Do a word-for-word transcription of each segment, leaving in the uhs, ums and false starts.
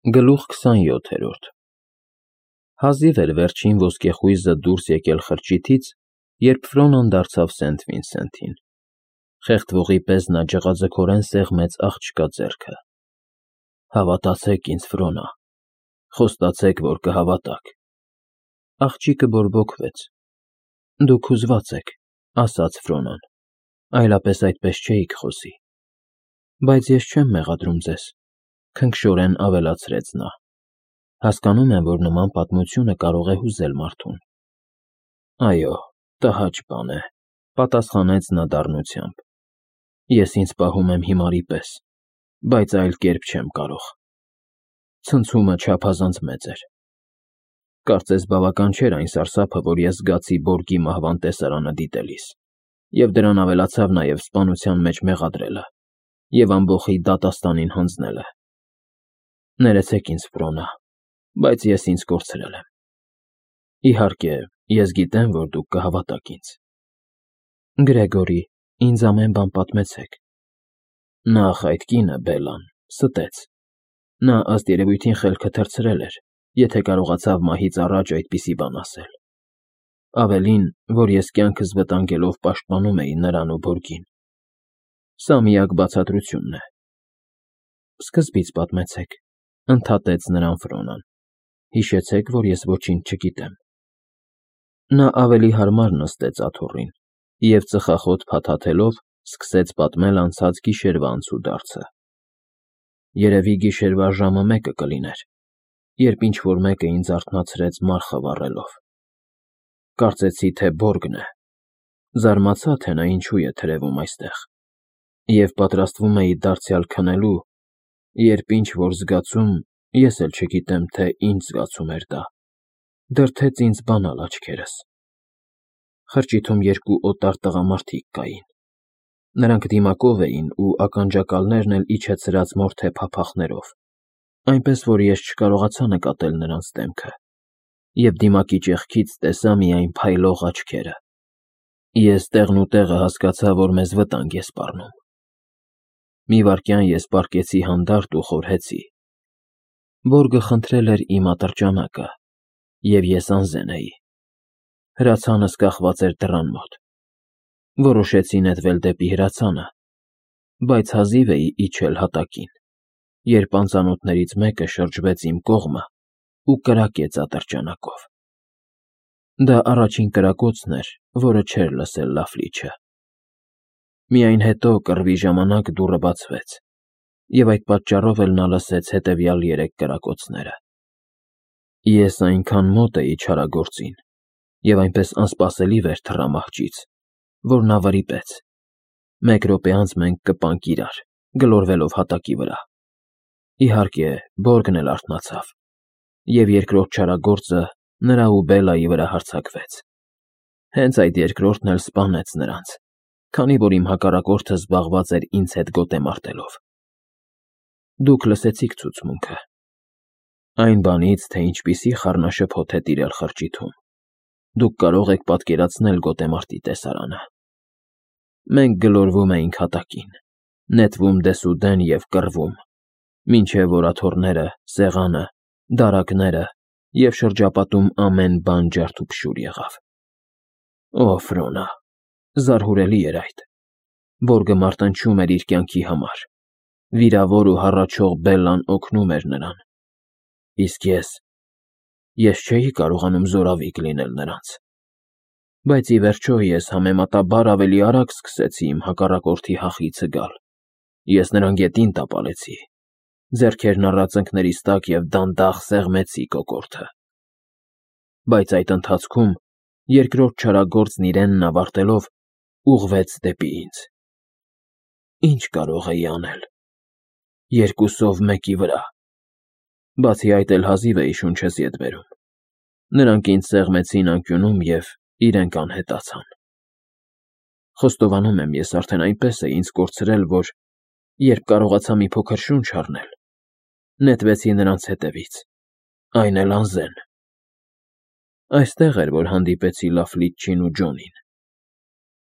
Գլուխ քսանյոթերորդ Հազիվ էր վերջին ոսկեխույզը դուրս եկել խրճիթից, երբ Ֆրոնան դարձավ Սենթ Վինսենթին. խեղդվողի պես նա ջղաձգորեն սեղմեց աղջկա ձեռքը։ Հավատացեք ինձ, Ֆրոնա, խոստացեք, որ կհավատաք։ Աղջիկը բորբոքվեց։ Դուք հուզված եք, ասաց Ֆրոնան, այլապես այդպես չէիք խոսի։ Բայց ես չեմ մեղադրում ձեզ, քնքշորեն ավելացրեց նա։ Հասկանում եմ, որ նման պատմությունը կարող է հուզել մարդուն։ Այո, տհաճ բան է, պատասխանեց նա դառնությամբ։ Ես ինձ պահում եմ հիմարի պես, բայց այլ կերպ չեմ կարող։ Ցնցումը չափազանց մեծ էր։ Կարծես բավական չէր այն սարսափը, որ ես զգացի Բորգի մահվան տեսարանը դիտելիս, և դրան ավելացավ նաև սպանության մեջ մեղադրելը և ամբոխի դատաստանին հանձնելը։ Ներեցեք ինձ, Ֆրոնա, բայց ես ինձ կորցրել եմ։ Իհարկե, ես գիտեմ, որ դուք կհավատաք ինձ։ Գրեգորի, ինձ ամեն բան պատմեցեք։ Նախ այդ կինը, Բելլան, ստեց։ Նա ըստ երևույթին խելքը թռցրել էր, եթե կարողացավ մահից առաջ այդպիսի բան ասել։ Ավելին, որ ես կյանքս վտանգելով պաշտպանում էի նրան ու Բորգին։ Սա միակ բացատրությունն է։ Սկզբից պատմեցեք, ընդհատեց նրան Ֆրոնան։ Հիշեցեք, որ ես ոչինչ չգիտեմ։ Նա ավելի հարմար նստեց աթոռին և ծխախոտ փաթաթելով սկսեց պատմել անցած գիշերվա անցուդարձը։ Երևի գիշերվա ժամը մեկը կլիներ, երբ ինչ֊որ մեկը ինձ արթնացրեց մարխը վառելով։ Կարծեցի, թե Բորգն է։ Զարմացա, թե նա ինչու է թրևում այստեղ, և պատրաստվում էի դարձյալ քնելու, երբ ինչ֊որ զգացում, ես էլ չգիտեմ, թե ինչ զգացում էր դա, դրդեց ինձ բանալ աչքերս։ Խրճիթում երկու օտար տղամարդիկ կային։ Նրանք դիմակով էին ու ականջակալներն էլ իջեցրած մորթե փափախներով, այնպես որ ես չկարողացա նկատել նրանց դեմքը, և դիմակի ճեղքից տեսա միայն փայլող աչքերը։ Ես տեղնուտեղը հասկացա, որ մեզ վտանգ է սպառնում։ Մի վայրկյան ես պառկեցի հանդարտ ու խորհեցի։ Բորգը խնդրել էր իմ ատրճանակը, և ես անզեն էի։ Հրացանս կախված էր դռան մոտ։ Որոշեցի նետվել դեպի հրացանը, բայց հազիվ էի իջել հատակին, երբ անծանոթներից մեկը շրջվեց իմ կողմը ու կրակեց ատրճանակով։ Դա առաջին կրակոցն էր, որը չէր լսել Լաֆլիչը։ Միայն հետո, կռվի ժամանակ, դուռը բացվեց, և այդ պատճառով էլ նա լսեց հետևյալ երեք կրակոցները։ Ես այնքան մոտ էի չարագործին և այնպես անսպասելի վեր թռա մահճից, որ նա վրիպեց։ Մեկ րոպե անց մենք կպանք իրար, գլորվելով հատակի վրա։ Իհարկե, Բորգն էլ արթնացավ, և երկրորդ չարագործը նրա ու Բելլայի վրա հարձակվեց։ Հենց այդ երկրորդն էլ սպանեց նրանց, քանի որ իմ հակառակորդը զբաղված էր ինձ հետ գոտեմարտելով։ Դուք լսեցիք ցուցմունքը։ Այն բանից, թե ինչպիսի խառնաշփոթ է տիրել խրճիթում, դուք կարող եք պատկերացնել գոտեմարտի տեսարանը։ Մենք գլորվում էինք հատակին, նետվում դեսուդեն և կռվում, մինչև որ աթոռները, սեղանը, դարակները և շրջապատում ամեն բան ջարդուփշուր եղավ։ Օ, Ֆրոնա, զարհուրելի էր այդ։ Բորգը մարտնչում էր իր կյանքի համար։ Վիրավոր ու հառաչող Բելլան օգնում էր նրան։ Իսկ ես… ես չէի կարողանում զորավիգ լինել նրանց։ Բայց ի վերջո ես համեմատաբար ավելի արագ սկսեցի իմ հակառակորդի հախիցը գալ։ Ես նրան գետին տապալեցի, ձեռքերն առած ծնկներիս տակ և դանդաղ սեղմեցի կոկորդը։ Բայց այդ ընթացքում երկրորդ չարագործն իրենն ավարտելով ուղղվեց դեպի ինձ։ Ինչ կարող էի անել… երկուսով մեկի վրա… Բացի այդ էլ հազիվ էի շունչս ետ բերում։ Նրանք ինձ սեղմեցին անկյունում և իրենք անհետացան։ Խոստովանում եմ, ես արդեն այնպես էի ինձ կորցրել, որ, երբ կարողացա մի փոքր շունչ առնել, նետվեցի նրանց հետևից, այն էլ անզեն։ Այստեղ էր, որ հանդիպեցի Լաֆլիչին ու Ջոնին։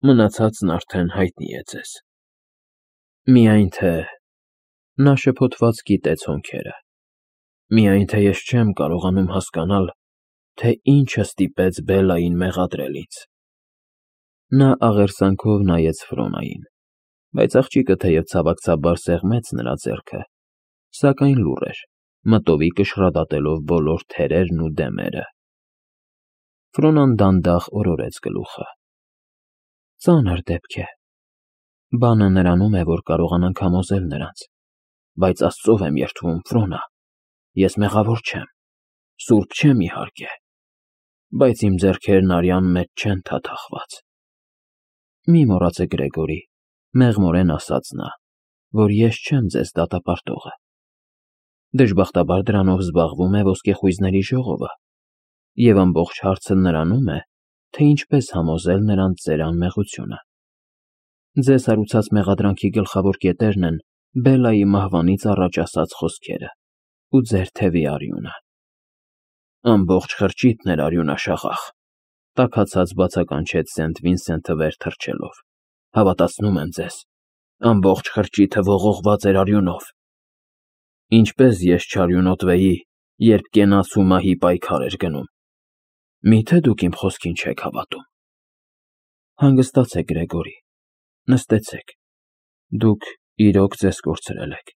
Մնացածն արդեն հայտնի է ձեզ։ Միայն թե… նա շփոթված կիտեց հոնքերը։ Միայն թե ես չեմ կարողանում հասկանալ, թե ինչը ստիպեց Բելլային մեղադրել ինձ։ Նա աղերսանքով նայեց Ֆրոնային, բայց աղջիկը թեև ցավակցաբար սեղմեց նրա ձեռքը, սակայն լուռ էր, մտովի կշռադատելով բոլոր թերերն ու դեմերը։ Ֆրոնան դանդաղ օրորեց գլուխը։ Ծանր դեպք է։ Բանը նրանում է, որ կարողանանք համոզել նրանց, բայց Աստծով եմ երդվում, Ֆրոնա, ես մեղավոր չեմ, սուրբ չեմ իհարկե, բայց իմ ձեռքերն արյան մեջ չեն թաթախված։ Մի մոռացեք, Գրեգորի, մեղմորեն ասաց նա, որ ես չեմ ձեզ դատապարտողը։ Դժբախտաբար դրանով զբաղվում է ոսկեխույզների ժողովը, և ամբողջ հարցը նրանում է, թե ինչպես համոզել նրանց ձեր անմեղությունը։ Ձեզ հարուցած մեղադրանքի գլխավոր կետերն են Բելլայի մահվանից առաջ ասած խոսքերը ու ձեր թևի արյունը։ Ամբողջ խրճիթն էր արյունաշաղախ, տաքացած բացականչեց Սենթ Վինսենթը վեր թռչելով։ Հավատացնում եմ ձեզ, ամբողջ խրճիթը ողողված էր արյունով։ Ինչպես ես չարյունոտվեի, երբ կենաց ու մահի պայքար էր գնում։ Միթե դուք իմ խոսքին չեք հավատում։ Հանգստացեք, Գրեգորի, նստեցեք, դուք իրոք ձեզ կորցրել եք։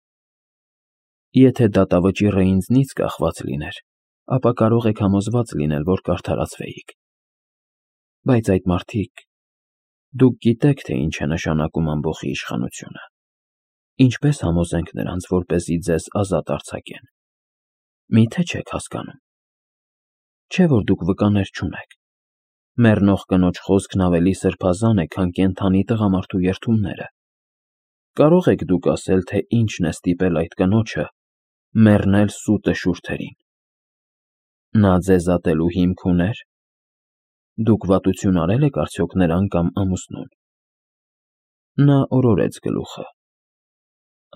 Եթե դատավճիռը ինձնից կախված լիներ, ապա կարող եք համոզված լինել, որ կարդարացվեիք։ Բայց այդ մարդիկ, դուք գիտեք, թե ինչ է նշանակում ամբոխի իշխանությունը։ Ինչպես համոզենք նրանց, որպեսզի ձեզ ազատ արձակեն։ Միթե չեք հասկանում։ Չէ՞ որ դուք վկաներ չունեք։ Մեռնող կնոջ խոսքն ավելի սրբազան է, քան կենդանի տղամարդու երդումները։ Կարող եք դուք ասել, թե ինչն է ստիպել այդ կնոջը մեռնել սուտը շուրթերին։ Նա ձեզ ատելու հիմք ուներ։ Դուք վատություն արել եք արդյոք նրան կամ ամուսնուն։ Նա օրորեց գլուխը։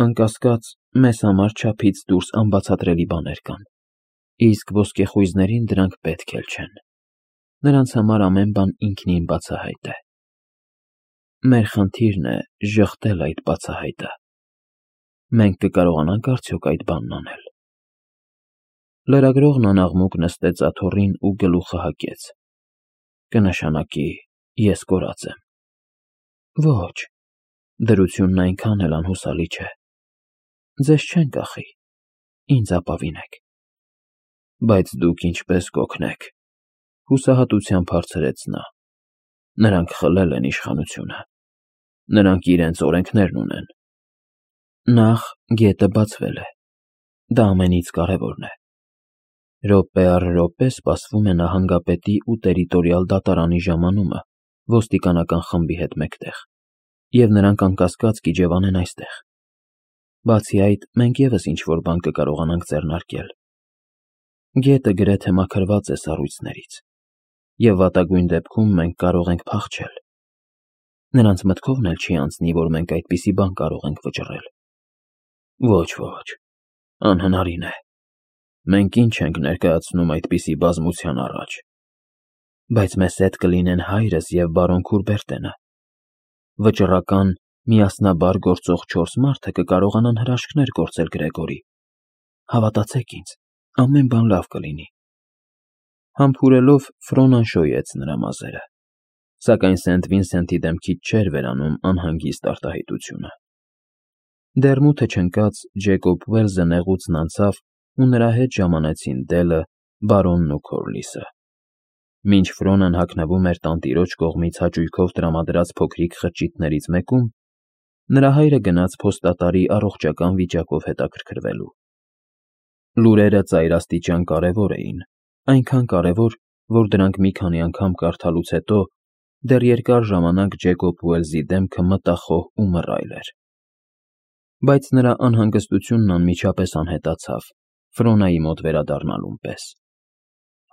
Անկասկած, մեզ համար չափից դուրս անբացատրելի բաներ կան, իսկ ոսկեխույզներին դրանք պետք էլ չեն։ Նրանց համար ամեն բան ինքնին բացահայտ է։ Մեր խնդիրն է ժխտել այդ բացահայտը։ Մենք կկարողանանք արդյոք այդ բանն անել։ Լրագրողն անաղմուկ նստեց աթոռին ու գլուխը հագեց։ Կնշանակի, ես կորած եմ։ Ոչ, դրությունն այնքան էլ անհուսալի չէ։ Ձեզ չեն կախի, ինձ ապավինեք։ Բայց դուք ինչպես կօգնեք, հուսահատությամբ հարցրեց նա։ Նրանք խլել են իշխանությունը։ Նրանք իրենց օրենքներն ունեն։ Նախ գետը բացվել է։ Դա ամենից կարևորն է։ Րոպե առ րոպե սպասվում է նահանգապետի ու տերիտորիալ դատարանի ժամանումը ոստիկանական խմբի հետ մեկտեղ, և նրանք անկասկած կիջևանեն այստեղ։ Բացի այդ, մենք ևս ինչ-որ բան կկարողանանք ձեռնարկել։ Գետը գրեթե մաքրված է սառույցներից, և վատագույն դեպքում մենք կարող ենք փախչել։ Նրանց մտքովն էլ չի անցնի, որ մենք այդպիսի բան կարող ենք վճռել։ Ոչ, ոչ, անհնարին է։ Մենք ինչ ենք ներկայացնում այդպիսի բազմության առաջ։ Բայց մեզ հետ կլինեն հայրս և բարոն Քուրբերտենը։ Վճռական, միասնաբար գործող չորս մարդը կկարողանան հրաշքներ գործել, Գրեգորի։ Հավատացեք ինձ, ամեն բան լավ կլինի։ Համբուրելով Ֆրոնան շոյեց նրա մազերը, սակայն Սենթ Վինսենթի դեմքից չէր վերանում անհանգիստ արտահայտությունը։ Դեռ մութը չընկած Ջեկոբ Ուելսը նեղուցն անցավ ու նրա հետ ժամանեցին Դելը, բարոնն ու Քորլիսը։ Մինչ Ֆրոնան հագնվում էր տանտիրոջ կողմից հաճույքով տրամադրած փոքրիկ խրճիթներից մեկում, նրա հայրը գնաց փոստատարի առողջական վիճակով հետաքրքրվելու։ Լուրերը ծայրաստիճան կարևոր էին, այնքան կարևոր, որ դրանք մի քանի անգամ կարդալուց հետո դեռ երկար ժամանակ Ջեկոբ Ուելսի դեմքը մտախոհ ու մռայլ էր։ Բայց նրա անհանգստությունն անմիջապես անհետացավ Ֆրոնայի մոտ վերադառնալուն պես։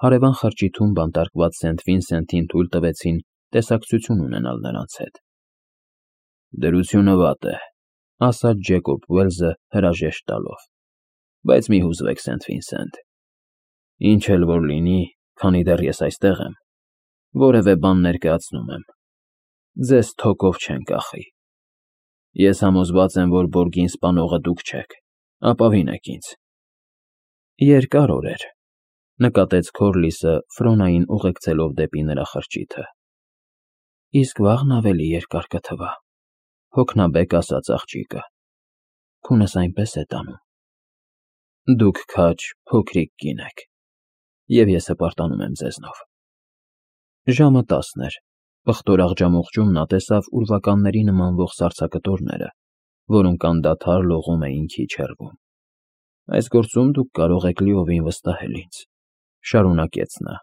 Հարևան խրճիթում բանտարկված Սենթ Վինսենթին թույլ տվեցին տեսակցություն ունենալ նրանց հետ։ Դրությունը վատ է, ասաց Ջեկոբ Ուելսը հրաժեշտ տալով։ Բայց մի հուզվեք, Սենթ Վինսենթ։ Ինչ էլ որ լինի, քանի դեռ ես այստեղ եմ, որևէ բան ներկայացնում եմ։ Ձեզ թոկով չեն կախի։ Ես համոզված եմ, որ Բորգին սպանողը դուք չեք, ապավինեք ինձ։ Երկար օր էր, նկատեց Քորլիսը Ֆրոնային ուղեկցելով դեպի նրա խրճիթը։ Իսկ վաղն ավելի երկար կթվա, հոգնաբեկ ասաց աղջիկը։ Քունս այնպես է տանում։ Դուք քաջ փոքրիկ կին եք, և ես հպարտանում եմ ձեզնով։ Ժամը տասն էր, պղտոր աղջամուղջում նա տեսավ ուրվականների նմանվող սառցակտորները, որոնք անդադար լողում էին քիչ հեռվում։ Այս գործում դուք կարող եք լիովին վստահել ինձ, շարունակեց նա։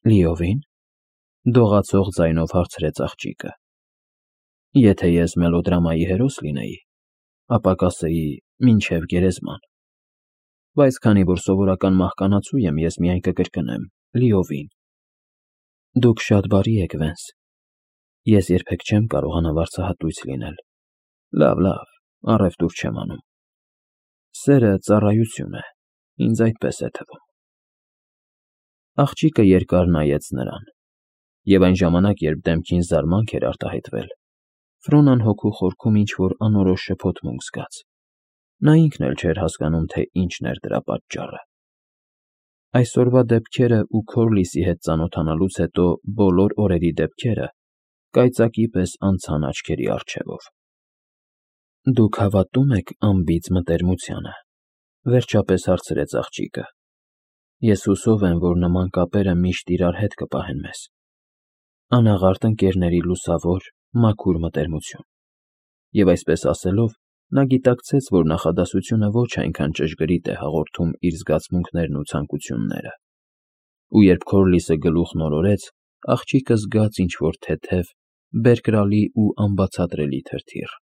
Լիովին, դողացող ձայնով հարցրեց աղջիկը։ Եթե ես մելոդրամայի հերոս լինեի, ապա կասեի մինչև գերեզման, բայց քանի որ սովորական մահկանացու եմ, ես միայն կկրկնեմ լիովին։ Դուք շատ բարի եք, Վենս, ես երբեք չեմ կարողանա վարձահատույց լինել։ Լավ, լավ, առևտուր չեմ անում։ Սերը ծառայություն է, ինձ այդպես է թվում։ Աղջիկը երկար նայեց նրան, և այն ժամանակ, երբ դեմքին զարմանք էր արտահայտվել, Ֆրոնան հոգու խորքում ինչ-որ անորոշ շփոթմունք զգաց։ Նա ինքն էլ չէր հասկանում, թե ինչն էր դրա պատճառը։ Այսօրվա դեպքերը ու Քորլիսի հետ ծանոթանալուց հետո բոլոր օրերի դեպքերը կայծակի պես անցան աչքերի առջևով։ Դուք հավատո՞ւմ եք անբիծ մտերմությանը, վերջապես հարցրեց աղջիկը։ Ես հուսով եմ, որ նման կապերը միշտ իրար հետ կպահեն մեզ։ Անաղարտ ընկերների լուսավոր, մաքուր մտերմություն։ Եվ այսպես ասելով, նա գիտակցեց, որ նախադասությունը ոչ այնքան ճշգրիտ է հաղորդում իր զգացմունքներն ու ցանկությունները։ Ու երբ Քորլիսը գլուխն օրորեց, աղջիկը զգաց ինչ-որ թեթև, բերկրալի ու անբացատրելի թրթիռ։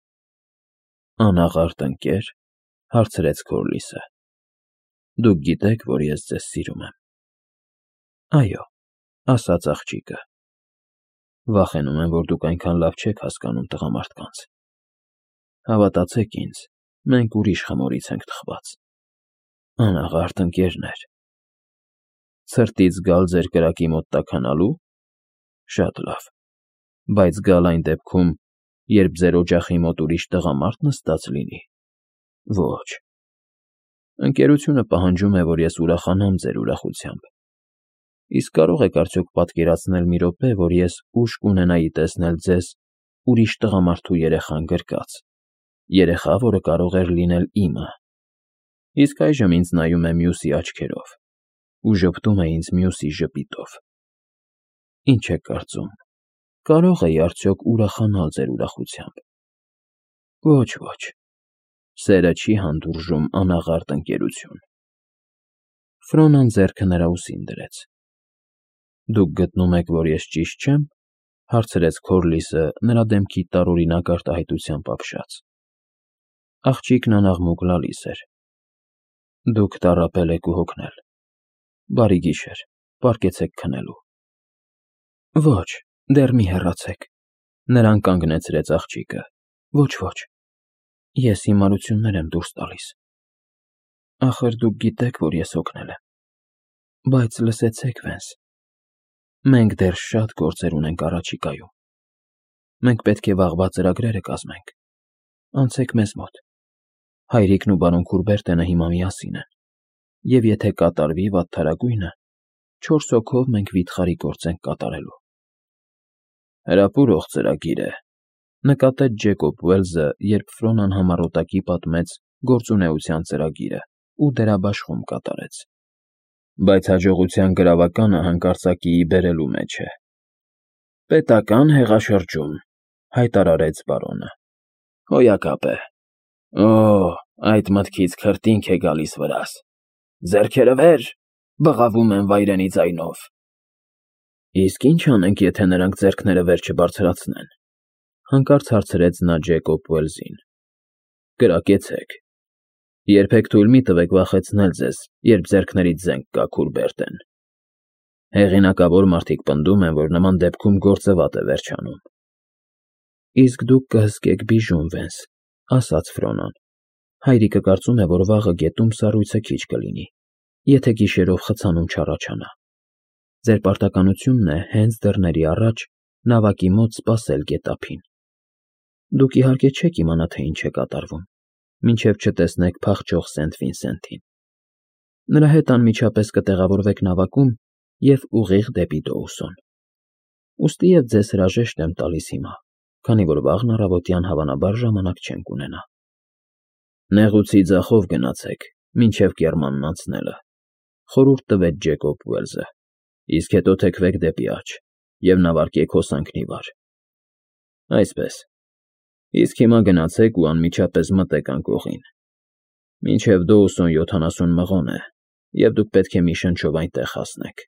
Անաղարտ ընկե՞ր, հարցրեց Քորլիսը։ Դուք գիտեք, որ ես ձեզ սիրում եմ։ Այո, ասաց աղջիկը։ Վախենում եմ, որ դուք այնքան լավ չեք հասկանում տղամարդկանց։ Հավատացեք ինձ, մենք ուրիշ խմորից ենք թխված։ Անաղարտ ընկերներ։ Ցրտից գալ ձեր կրակի մոտ տաքանալու։ Շատ լավ, բայց գալ այն դեպքում, երբ ձեր օջախի մոտ ուրիշ տղամարդ նստած լինի։ Ոչ։ Ընկերությունը պահանջում է, որ ես ուրախանամ ձեր ուրախությամբ։ Իսկ կարող եք արդյոք պատկերացնել մի րոպե, որ ես ուժ կունենայի տեսնել ձեզ ուրիշ տղամարդու երեխան գրկած, երեխա, որը կարող էր լինել իմը։ Իսկ այժմ ինձ նայում է մյուսի աչքերով ու ժպտում է ինձ մյուսի ժպիտով։ Ինչ եք կարծում, կարո՞ղ էի արդյոք ուրախանալ ձեր ուրախությամբ։ Ոչ, ոչ, սերը չի հանդուրժում անաղարտ ընկերություն։ Ֆրոնան ձեռքը նրա ուսին դրեց։ Դուք գտնում եք, որ ես ճիշտ չեմ, հարցրեց Քորլիսը նրա դեմքի տարօրինակ արտահայտությամբ ապշած։ Աղջիկն անաղմուկ լալիս էր։ Դուք տառապել եք ու հոգնել։ Բարի գիշեր, պառկեցեք քնելու։ Ոչ, դեռ մի հեռացեք, նրան կանգնեցրեց աղջիկը։ Ոչ, ոչ, ես հիմարություններ եմ դուրս տալիս։ Ախր դուք գիտեք, որ ես հոգնել եմ։ Բայց լսեցեք, Վենս, մենք դեռ շատ գործեր ունենք առաջիկայում։ Մենք պետք է վաղվա ծրագրերը կազմենք։ Անցեք մեզ մոտ։ Հայրիկն ու բարոն Քուրբերտենը հիմա միասին են, և եթե կատարվի վատթարագույնը, չորս հոգով մենք վիթխարի գործ ենք կատարելու։ Հրապուրող ծրագիր է, նկատեց Ջեկոբ Ուելզը, երբ Ֆրոնան համառոտակի պատմեց գործունեության ծրագիրը ու դերաբաշխում կատարեց։ Բայց հաջողության գրավականը հանկարծակիի բերելու մեջ է։ Պետական հեղաշրջում, հայտարարեց բարոնը։ Հոյակապ է։ Օ, այդ մտքից քրտինք է գալիս վրաս։ Ձեռքերը վեր, բղավում են վայրենի ձայնով։ Իսկ ինչ անենք, եթե նրանք ձեռքները վեր չբարձրացնեն, հանկարծ հարցրեց նա Ջեկոբ Ուելզին։ Կրակեցեք։ Երբեք թույլ մի տվեք վախեցնել ձեզ, երբ ձեռքներից զենք կա, Քուրբերտեն։ Հեղինակավոր մարդիկ պնդում են, որ նման դեպքում գործը վատ է վերջանում։ Իսկ դուք կհսկեք բիժում, Վենս, ասաց Ֆրոնան։ Հայրիկը կարծում է, որ վաղը գետում սառույցը քիչ կլինի, եթե գիշերով խցանում չառաջանա։ Ձեր պարտականությունն է հենց դռների առաջ նավակի մոտ սպասել գետափին։ Դուք իհարկե չեք իմանա, թե ինչ է կատարվում, մինչև չտեսնեք փախչող Սենթ Վինսենթին։ Նրա հետ անմիջապես կտեղավորվեք նավակում և ուղիղ դեպի Դոուսոն։ Ուստի և ձեզ հրաժեշտ եմ տալիս հիմա, քանի որ վաղն առավոտյան հավանաբար ժամանակ չենք ունենա։ Նեղուցի ձախով գնացեք մինչև կեռմանն անցնելը, խորհուրդ տվեց Ջեյկոբ Ուելսը, իսկ հետո թեքվեք դեպի աջ և նավարկեք հոսանքն ի վար։ Այսպես, իսկ հիմա գնացեք ու անմիջապես մտեք անկողին։ Մինչև Դոուսոն յոթանասուն մղոն է, և դուք պետք է մի շնչով այնտեղ հասնեք։